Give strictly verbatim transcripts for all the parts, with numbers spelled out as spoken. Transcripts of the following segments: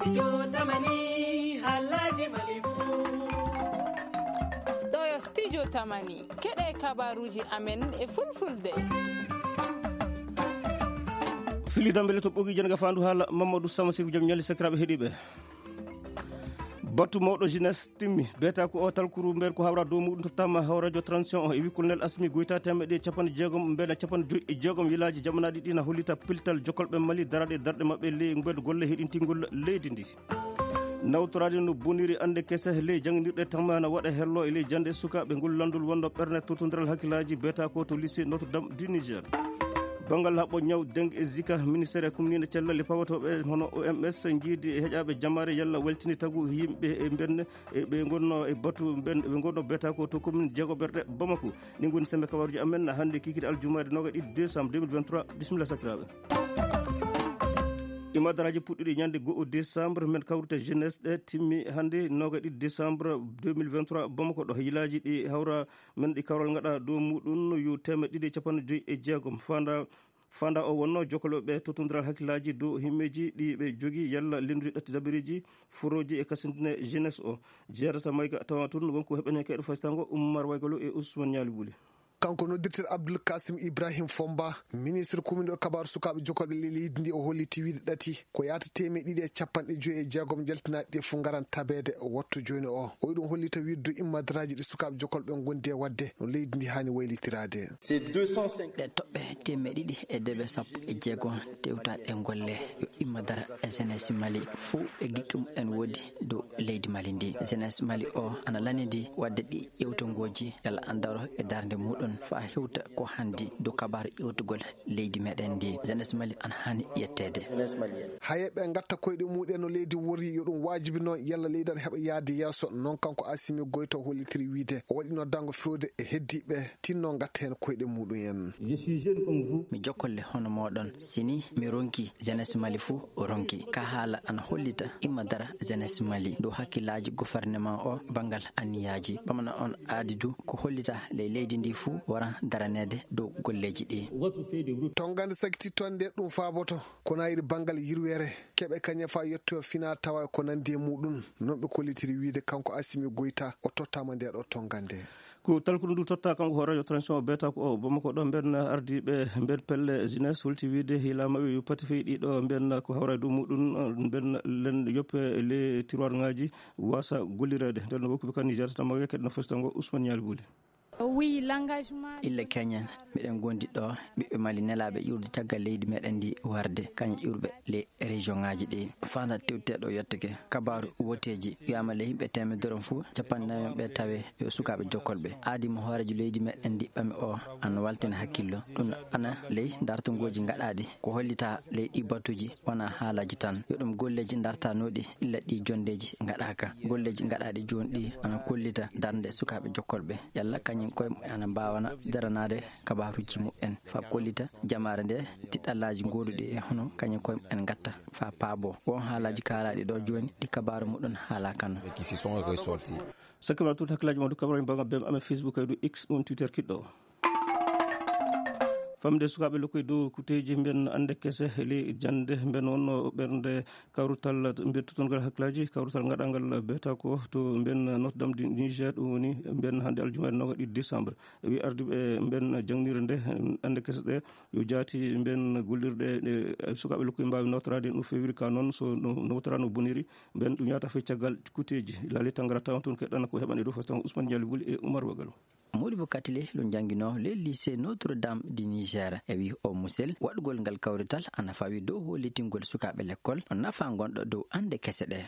Studio Tamani, halaji Malibu. Ɗo yo Studio Tamani, keɗe kabaruji amen e fulfulde. Fili dambele to ɓogi jenga fandu hala Mamadou Sama Sekou Jam Ñali sakiraɓe heɗiɓe. Batu mawɗo jeunesse timmi, beta ko o talkuru mber ko hawra dow muɗum to tama hawrajo transition o e wikkol nel asmi goyta temeɗe capanɗe jeegom mbena capanɗe joyi e jeegom yilaji jamanaɗi ɗi na hollita piltal jokolɓe Mali daraɗe darɗe maɓɓe ley mbeɗo golle heɗintingol leydi ndi. Nawtoraade no boniri ande kese ley jannginirɗe tamma na waɗa hello e ley jannde sukaaɓe ngol lanndol wonno ɓerne totodiral hakkillaji beta ko to lycée Notre Dame du Niger. Banngal haɓɓo ñaw deng e zika ministére e kumnina cellal e pawotooɓe hono O M S njiidi e heƴaaɓe jamaare yalla weltini tagu yimɓe e mbenne e ɓe ngonno e batu ɓe ngonno beta ko to commune jeegoɓerɗe Bamako. Ɗi ngoni sembe kabaruji amen hannde kikiri aljumaare noga ɗiɗi décembre deux mille vingt-trois. Bisimilla sakiraaɓe. Imadaraaji puɗɗiɗi ñande go'o décembre men kawrita jeunesse ɗe timmi hannde noga ɗiɗi décembre deux mille vingt-trois Bamako ɗo yilaji ɗi hawra men ɗi kawral ngaɗa dow muɗum yo temeɗɗe ɗiɗi e capanɗe joyi e jeegom fanda fanda o wonno jokkoloɓe totodiral hakkillaji dow himmeji ɗi ɓe jogi yalla lendude ɗatti dabareji foroji e kasindine jeunesse o jeerata mayga tawa tun wonko heɓene kayɗo fasitango Ummar Waygalo e Ousmane Ñaali Buli. Kanko noddirtel Abdoul Kasim Ibrahim Fomba, ministre commune o kabaru sukaaɓe jokolɓe ley leydi ndi o holliti wiide ɗati ko yaata temeɗɗe ɗiɗi e capanɗe joyi e jeegom jaltinaɗi ɗe fof ngaran tabeede wattu jooni o. O yiɗum hollita wiide dow immadaraaji ɗi sukaaɓe jokolɓe ngondi e waɗde no leydi ndi haani waylitiraade. Ɗe toɓɓe temeɗɗe ɗiɗi e deɓe sappo e jeego tewtaɗe golle yo immadara e jeunesse Mali fof e gikke mum en woodi dow leydi Mali ndi. Jeunesse Mali o ana lanidi waɗde ɗi ƴewtongoji yalla an daro e darnde muɗum fa hewta ko handi dow kabaru ƴewtugol leydi meɗen ndi. Jeunesse Mali ana hani yetteede. Haye ɓe ngatta koyɗe muɗen no leydi wori yo ɗum waajibi noon yalla leydi ana heɓa yaade yeeso noon kanko Asimi Goyta hollitiri wiide o waɗi noddango fewde e heddiɓe tinno ngatta heen koyɗe muɗum en. Mi jokkolle hono moɗon sini mi ronki jeunesse Mali fo ronki ka haala ana hollita imma dara jeunesse Mali dow hakkillaji gouvernement o bangal anniyaji ɓamana on aadi du ko hollita ley leydi ndi fo wara daranede dow golleji ɗi. Tongande sakiti tonde ɗum faaboto kono ayri bangal yirwere keɓe kañe fa yetto fina tawa ko nandi e muɗum non ɓe kollitiri wiide kanko Asimi Goyta o tottama nde ɗo tongande. Ko talkudu ndu totta kanko hooreejo transition o beeta ko o Bamako ɗo mben ardiiɓe mben pelle jeunesse holti wiide hiila maɓɓe yo pati fey ɗiɗo mben ko hawra e dow muɗum mben len yoppe les tiroir ngaji wasa gollireede nden no wokkuɓe kan Niger tan maga keɗno fostango Ousmane Ñaali Buli. Illa keñen miɗen gondi ɗo ɓiɓɓe Mali nelaɓe ƴurde caggal leydi meɗen ndi warde kañum ƴurɓe les région ngaji ɗi fanda tewteɗo yettake kabaru woteji wiyama le yimɓe temedere on fo capanɗe nayi on ɓe tawe yo sukaɓe jokkolɓe aadi mo hoorejo leydi meɗen ndi ɓami o ana waltina hakkillo ɗum ana ley dartogoji gaɗaɗi ko hollita ley ɗi batuji wona haalaji tan yo ɗum golleji dartanoɗi illa ɗi jondeji gaɗaka golleji gaɗaɗi joni ɗi ana kollita darde sukaɓe jokkolɓe yalla kañum koye ana mbawana daranade kabaruji mumen fa kollita jamaare nde tiɗɗallaji goduɗi e hono kañum koye en gatta fa paabo won haalaji kaalaɗi ɗo joni ɗi kabaru muɗum haala kan. Sakkima tout hakkillaji ma du kabaruji mbaga bem amen Facebook ay du x ɗum Twitter kiɗɗo. Famde sukaɓe lokkoy dow kuteji mben ande kese le jande mben wonno ɓernde kawrutal mbiya totolngal hakkillaji kawrutal gaɗangal beta ko to mben Notre Dame du Niger ɗum woni mben hande aljumaare noga ɗiɗi décembre wi ardiɓe mben jangnire nde ande kese ɗe yo jaati mben gollirɗe ɗe sukaɓe lokkoy mbawi nawtorade no fewiri ka noon so nawtora no boniri mben ɗum yata fe caggal kuteji laali tangara tawan toon keɗɗana ko heɓan e dow fastan Ousmane Dialli Buli e Oumar Wagalo. Modibo Katile ɗum janngino le lycée Notre Dame du Niger e wi o musel waɗugol ngal kawrital ana fawi dow hollitingol sukaaɓe lekkol nafa ngonɗo dow annde kese ɗe.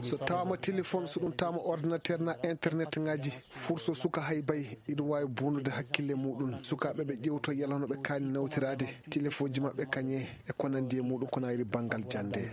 So tawama téléphone so ɗum tawama ordinateur na internet ngaji furso suka hay bay iɗum wawi bonnude hakkille muɗum sukaaɓe ɓe ƴewto yalano ɓe kaani nawtirade téléphone ji maɓɓe kañe e ko nandi e muɗum ko nayri banngal jannde.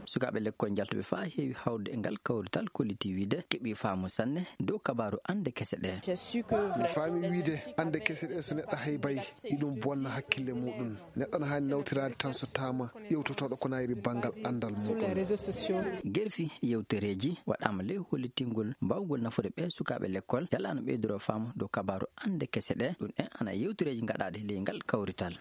Sukaaɓe lekkol njaltuɓe faa heewi hawrude e ngal kawrital kolliti wiide keɓi faamu sanne dow kabaaru annde kese ɗe. Mi faami wiide annde kese ɗe so neɗɗo haybay iɗum bonna hakkille muɗum. Neɗɗo no haani nawtiraade tan so taama ƴewtotooɗo ko nayri banngal anndal muɗum. Gerfi yewtereeji waɗaama ley hollitingol mbaawgol nafude ɓee sukaaɓe lekkol yalla ana ɓeydoroo faamu dow kabaaru annde kese ɗe ɗum en ana yewtereeji ngaɗaaɗi ley ngal kawrital.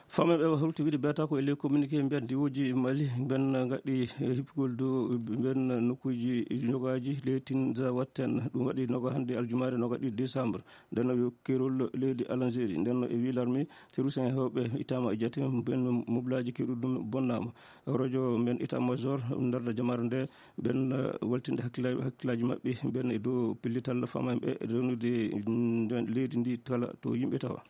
Faamaaɓe o hawti wiide beeta ko e ley communiqué mbiyan diwooji Mali mben ngaɗi hippugol dow mben nokkuuji nogaaji leytin za watten. Ɗum waɗi noga hannde aljumaare noga ɗiɗi décembre. Nden no yo keerol leydi Algérie. Nden no e wii larmi terroriste en heewɓe ittaama e jate mben mobilaaji keerol ɗum bonnaama. Rojo mben état major ndarda jamaare nde mben waltinde hakkillaaji maɓɓe mben e dow pellital faamaaɓe rewnude leydi ndi kala to yimɓe tawa.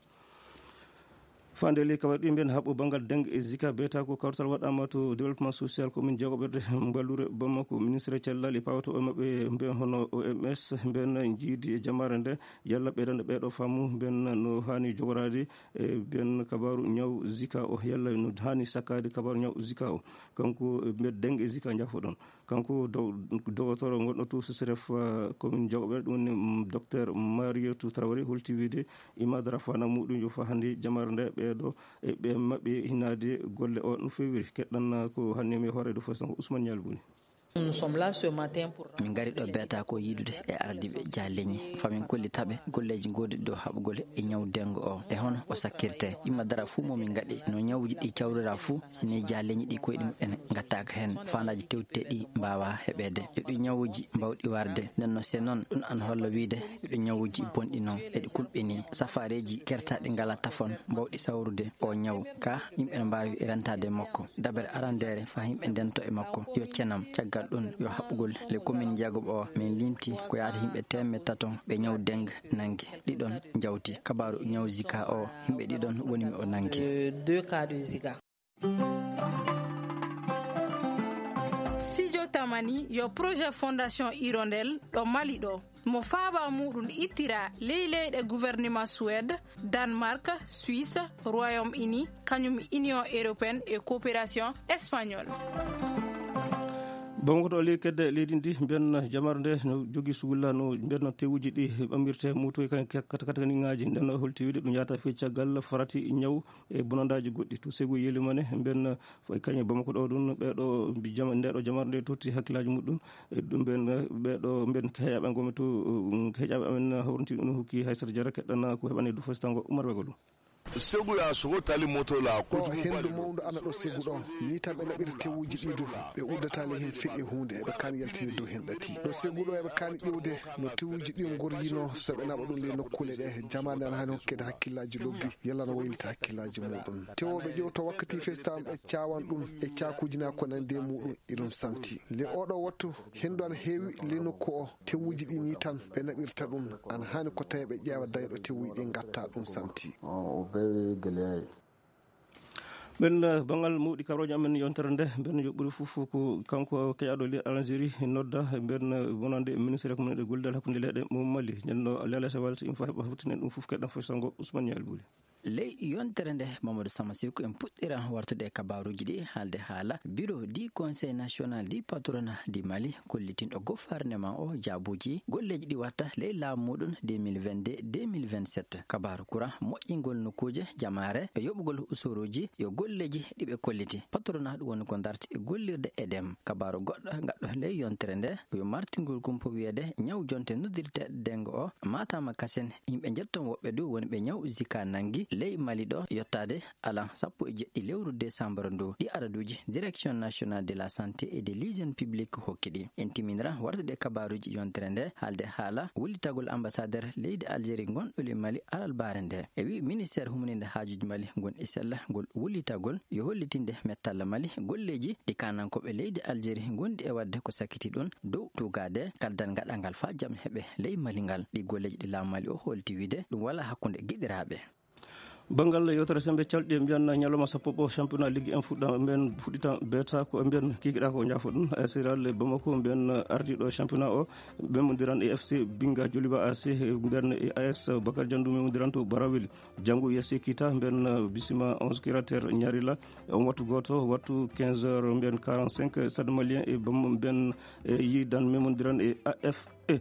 Fande ley kawal ɗi mbiyen haɓɓo banngal dengue e zika beeta ko kawtal waɗama to développement social commune jeegoɓerde mballure Bamako. Ministre cellal e pawato e maɓɓe mbiyen hono O M S mbiyen jiidi e jamaare nde yalla ɓeydande ɓeeɗo faamu mbiyen no hani jogoraade e mbiyen kabaru ñaw zika o yalla no hani sakkaade kabaru ñaw zika o. Kanko mbiyen dengue e zika jaafoɗon. Kanko dow- dogotoro gonɗo to sesref commune jogoɓe ɗum woni docteur Marietou Traoré holti wiide imadara fana muɗum yo fa hannde jamare nde ɓeeɗo e ɓe maɓɓe hinaade golle o no fewiri. Keɗɗan ko hannde mi hoore do fo sango Ousmane Nialbouni. Min ngari ɗo beeta ko yiidude e ardiiɓe jahaleñi famin kolli taɓe golleeji goduɗi dow haɓugol e ñaw dengo o e hono o sakkirte. Imma dara fuu mo min ngaɗi no ñawuji ɗi cawrira fuu sini jahaleñi ɗi koyɗi muɓɓen ngattaaka heen faandaaji tewteɗi mbaawa heɓeede. Yo ɗi ñawuji mbawɗi warde nden no se noon ɗum an holla wiide yo ɗi ñawuji bonɗi noon eɗi kulɓini safaareeji kertaaɗi ngala tafon mbawɗi sawrude o ñaw ka yimɓe no mbaawi rentaade e makko. Dabere arandeere faa yimɓe ndento e makko yo cenam. Caggal ɗum yo haɓɓugol le commune jeegoɓo o min limti ko yaata yimɓe teemeɗɗe tato ɓe ñaw dengue nanngi. Ɗiɗon njawti kabaaru ñaw zika o yimɓe ɗiɗon woni mi o nanngi. Sijo tamani yo projet fondation hirondelle ɗo mali ɗo mo faaba muɗum ittira ley leyɗe gouvernement suwede, danemark, suisse, royaume uni, kañum union européenne e coopération espagnole. Bamako to ley kedde leydi ndi mbiyan jamar nde no jogi sugulla no mbiyan tewuji ɗi ɓamirte mutoy kan katakataniŋaaji nden holti wiide ɗum yaata fii caggal farati ñaw e bonandaaji goɗɗi to segu yelimane mbiyan. Kañe Bamako ɗo ɗum ɓeɗo ndeɗo jamar nde totti hakkillaaji muɗum. Ɗum ɓen ɓeɗo mbiyan heƴaɓe gomi to heƴaɓe amen hawranti ɗum hokki haysata jara keɗɗana ko heɓani du fostango umar wegolu. Segu ya sogo tali moto la ko hendu mawdu ana ɗo segu ɗo ni tan ɓe naɓira tewuji ɗi du. Ɓe uddata le hen feƴe hunde eɓe kan yaltini dow hen ɗati ɗo segu ɗo eɓe kan ƴewde no tewuji ɗi gorjino so ɓe naɓa ɗum le nokkule ɗe jamande ana hani hokkede hakkillaji lobbi yalla no waylita hakkillaji muɗum. Tewoɓe ƴewto wakkati festam ɓe cawan ɗum e cakuji na ko nande muɗum. Iɗum santi le oɗo wattu hendu ana heewi le nokku o. Tewuji ɗi ni tan ɓe naɓirta ɗum ana hani ko tawi ɓe ƴeewa dayɗo tewuji ɗi gatta ɗum santi. O bewi geleyayi. Ɓen banngal mawɗi kabrooje amen yontere nde mbiyan yo ɓuri fof ko kanko keƴaɗo le algérie nodda mbiyan wonande ministre ko minen e gollidal hakkunde leyɗe mo mali ñanno lelese walta in fa heɓa huttinen ɗum fof keɗɗen fof sango ousmane ñaali buli. Ley yontere nde mamadou sama sirko en puɗɗira wartude e kabaruji ɗi haalde haala bureau du conseil national du patronat du mali kollitinɗo gouvernement o jaabuji golleji ɗi watta ley laamu muɗum deux mille vingt-deux deux mille vingt-sept kabaru courant moƴƴingol nokkuuje jamaare e yoɓugol usuruji yo golleji ɗiɓe kolliti patronat ɗum woni ko darti e gollirde edem kabaru goɗɗo gaɗɗo ley yontere nde yo martingol kumpo wiyede ñaw jonte noddirte dengo o matama kasen yimɓe jetton woɓɓe du woni ɓe ñaw zika nangi ley mali ɗo yottade alan sappo e jeɗɗi lewru décembre ndu ɗi araduji direction nationale de la santé et de l'hygiène publique hokki ɗi en timinira wartude kabaruji yontere nde haalde haala wullitagol ambassadeur leydi algérie gonɗo le mali alalbare nde e wi ministère humaninde haajuji mali gon e sella ngol wullitagol yo hollitinde mettalla mali golleji ɗi kanankoɓe leydi algérie gondi e wadde ko sakiti ɗum dow tugade kaldan gaɗangal fa jam heɓe ley mali ngal ɗi golleji ɗi laamu mali o holti wiide ɗum wala hakkunde giɗiraɓe. Banngal yewtere sembe calɗi e mbiyan ñalawma sappo ɓo championnat ligue un fuɗɗa mbiyan fuɗɗita beta ko mbiyan kikiɗa ko jafo ɗum asiral e bamako mbiyan ardiɗo championnat o memondiran e fc binga joliba ac mbiyan e as bakar jandu memondiran to barawil janngo yasi kita mbiyan bisima onze kirater ñarila on wattu goto wattu quinze heures mbiyan quarante-cinq stade malien e bamma mbiyan e yidan memondiran e af e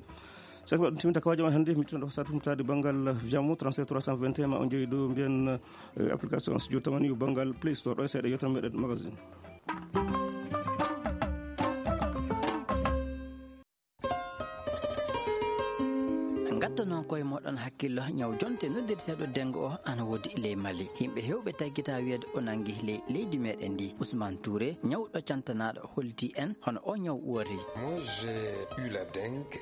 saka ɗum timinta kawaji ma hannde mi tino ɗo satu humtade banngal jamo trente-sept trois cent vingt et un ma on jeeyi dow mbiyen application studio tamani banngal play store ɗo e seeɗa yewtan meɗen magazine. Ngattanoo koye Moɗon hakkillo, ñaw jonte noddirteeɗo dengue o ana woodi ley Mali. Yimɓe heewɓe taggita wiyeede o nangi ley leydi meɗen ndi. Ousmane Touré, ñawɗo cantanaaɗo, holti en hono o ñaw woori. Moi, j'ai eu la dengue.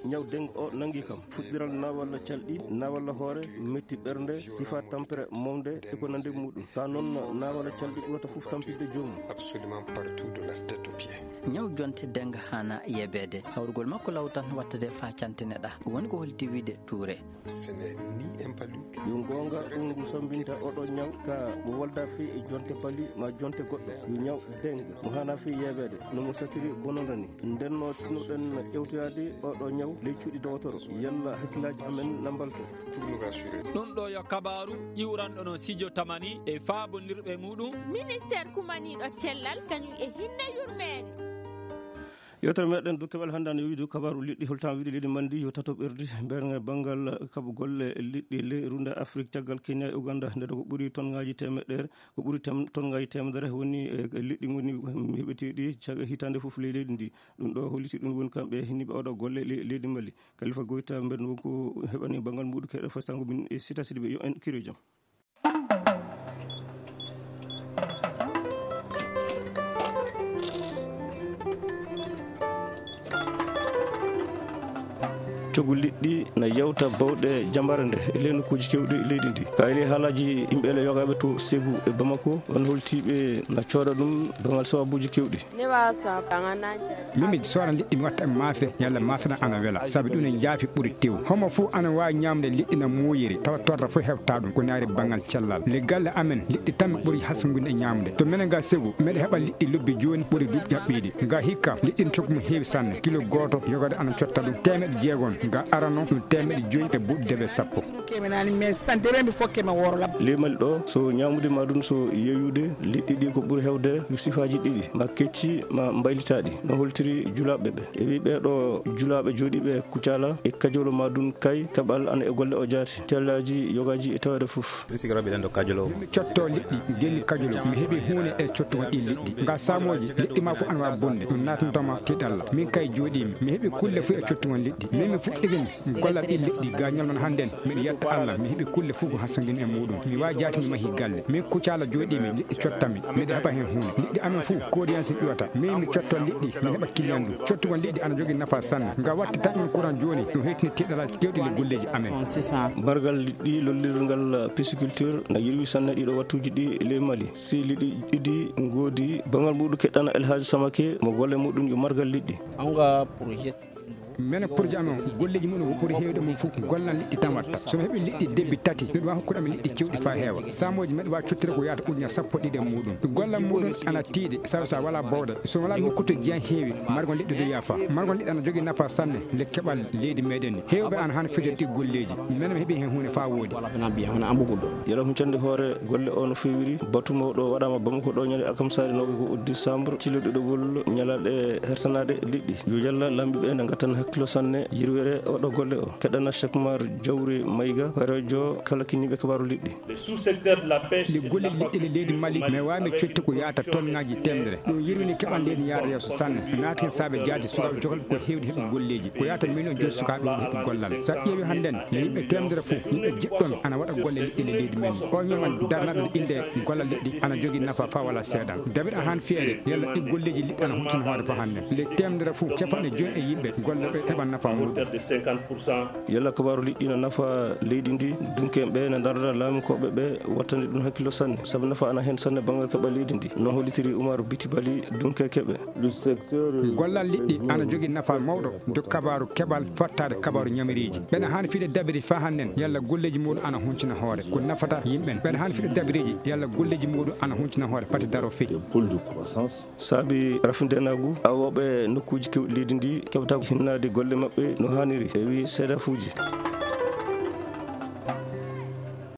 Ñaw dengue o nangi kam. Fuɗɗiral nawalla calɗi, nawalla hoore, metti ɓernde, sifa tampere mawde e ko nandi muɗum. Ka noon nawalla calɗi ɓurata fof tampinde joomum. Absolument partout de la tête aux pieds. Ñaw jonte dengue hana yebeede. Sawrugol makko law tan wattade faa cantineɗa. Woni ko holti wiide Touré. Ce n'est ni un palu. Yo goonga, ɗum ngu sambinta oɗo ñaw ka mo walda fii e jonte pali ma jonte goɗɗo. Yo ñaw dengue mo hana fii yebeede. No mo satiri bononda ni. Ndenno tinoɗen ƴewtoyaade oɗo ñaw ley cuuɗi dowotoro. Yalla hakkillaaji amen na mbalto. Pour nous rassurer. Ɗum ɗo yo kabaaru iwranɗo no Sijo Tamani e faabondirɓe muɗum. Ministeer kumaniiɗo cellal kañum e hinne yurmeende. Yewtere meɗen dow keɓal hannde ana wiide kabaaru liɗɗi, holtan wiide leydi Mali ndi yo tato ɓerdi. Ɓernge banngal kaɓu golle liɗɗi ley runde Afrik caggal Kenya e Uganda, nde ko ɓuri tonngaji temeɗɗere, ko ɓuri tem-, tonngaji temedere woni e liɗɗi ngoni heɓeteeɗi cag-, hitaande fof ley leydi ndi. Ɗum ɗo holliti ɗum woni kamɓe hinniɓe oɗo golle le-, leydi Mali. Kalifa Goyta mbeɗen wonko heɓani banngal muɗum keɗo fastango min e Sita Sidibe, yo en kiro jam. Coggu liɗɗi na yawta bawɗe jambare nde e ley nokkuuji kewɗi leydi ndi. Ka e ley haalaaji yimɓe ele yogaaɓe to Ségou e Bamako, on holtiiɓe na cooda ɗum bangal sababuuji kewɗi. Min mi soora liɗɗi mi watta e maafe, yalla maafe na ana wela, sabi ɗum ne jaafi ɓuri tew. Homo fof ana waawi ñaamde liɗɗi na muuyi, tawa torra fof heɓta ɗum, ko naari banngal cellal. Le galle amen, liɗɗi tan mi ɓuri hasngude e ñaamde. To menen ga Ségou, meɗe heɓa liɗɗi lobbi jooni ɓuri duuɓi jaɓɓiiɗi. Ga hikka, liɗɗi ne coggu mum heewi sanne. Kilo gooto, yogade ana cotta ɗum teemeɗe jeegom. Ga arano, ɗum teemeɗe joyi e buuɗi debe sappo. Ley Mali ɗo, so ñaamude ma ɗum, so yeeyude, liɗɗi ɗi ko ɓuri heewde ko sifaaji ɗiɗi, ma kecci, ma mbaylitaaɗi. No holtiri julaaɓe ɓe. E wi ɓee ɗo julaaɓe jooɗiiɓe Kucala e Kajolo ma ɗum kay, kaɓal ana e golle o jaati, tellaaji, yogaaji e taweede fof. Min mi cotto liɗɗi, gelli Kajolo, mi heɓi huune e cottugol ɗi liɗɗi. Nga saamooji, liɗɗi ma fof ana waawi bonde, ɗum naatantoma tiiɗalla. Min kay jooɗiimi, mi heɓi kulle fof e cottugol liɗɗi. Min mi fuɗɗike mi. Gollal ɗi liɗɗi ga ñalngal hannden, miɗo yetta Allah, mi heɓi kulle fof ko hasondin e muɗum. Mi waawi jaati mi mahi galle. Min Kucala jooɗiimi, liɗɗi cottami, miɗo heɓa heen huunde. Liɗɗi amen fof, kodiyansi ƴuwata. Min mi cotto liɗɗi, mi heɓa kiliyan ɗum. Cottugol liɗɗi ana jogii nafa sanne. Nga watti taƴgol kuran jooni, ɗum heytini tiiɗalaaji kewɗi le golleeji amen. Margal liɗɗi lollirgal pisciculture na yirwi sanne ɗiɗo wattuuji ɗi ley Mali. Si liɗɗi ɗiɗi ngoodi, bangal muɗum keɗɗana El Hadj Samake, mo golle muɗum yo margal liɗɗi. Menen projet amen, golleeji mum ɓuri heewde mum fof, gollal liɗɗi tan watta. So mi heɓi liɗɗi debbi tati, miɗo waawi hokkude amen liɗɗi cewɗi faa heewa. Saamooji meɗe waawi cottude ko yaata ujunere sappo ɗiɗi e muɗum. Gollal muɗum ana tiiɗi, sabu so a walaa bawɗe. So walaa nokku to jeyan heewi, margol liɗɗi dow yaafa. Margol liɗɗi ana jogii nafa sanne, le keɓal leydi meɗen ni. Heewɓe ana haani fijorde ɗi golleeji. Menen mi heɓi heen huunde faa woodi. Yalla huccande hoore golle o no feewiri. Batu mawɗo waɗaama Bamako ɗo ñande alkamsaare noogay e go'o décembre, cillo ɗiɗaɓol ñalaaɗe hertanaaɗe liɗɗi. Yo Yalla laamɓe ɓe ne ngattan hakkillo sanne yirwere oɗo golle o. Keɗana Cheikh Oumar Jawri Mayga, horeejo kala kinniiɓe kabaaru liɗɗi. Le sous-secteur de la pêche. Ɗi golle liɗɗi le leydi Mali, mi waawi mi cotti ko yaata tonnaaji teemedere. Ɗum yirwini keɓal leydi yaade yeeso sanne. Naati heen saabe jaati sukaaɓe jogal ko heewde heɓi golleeji. Ko yaata million joyi sukaaɓe woni heɓi gollal. So a ƴeewi hannden, no yimɓe teemedere fof, yimɓe jiɗɗon ana waɗa golle liɗɗi le leydi men. O ñaman darnaɗo innde gollal liɗɗi ana jogii nafa faa wala seeɗa. David a han fiyeede, yalla ɗi golleeji liɗɗi ana huccina hoore faa hannden. Le teemedere fof, capanɗe joyi e yimɓe gollooɓe heɓa nafa muɗum. Yalla kabaaru liɗɗi na nafa leydi ndi, dunkeeɓe ɓe na ndarda laamikooɓe ɓe wattande ɗum hakkillo sanne, sabu nafa ana heen sanne banngal keɓal leydi ndi. No hollitiri Oumar Biti Bali, dunkeekeɓe. Gollal liɗɗi ana jogii nafa mawɗo dow kabaaru keɓal, fattaade kabaaru ñamiriiji. Ɓeɗa haani fiɗe dabiri faa hannden, yalla golleeji muɗum ana huncina hoore. Ko nafata yimɓe ɓen. Ɓeɗa haani fiɗe dabiriiji, yalla golleeji muɗum ana huncina hoore, pati daro feƴƴi. Saabi rafindeenaagu, awooɓe nokkuuji keewɗi leydi ndi keɓata ko hinnaade golle maɓɓe no haaniri, e wi seedafuuji.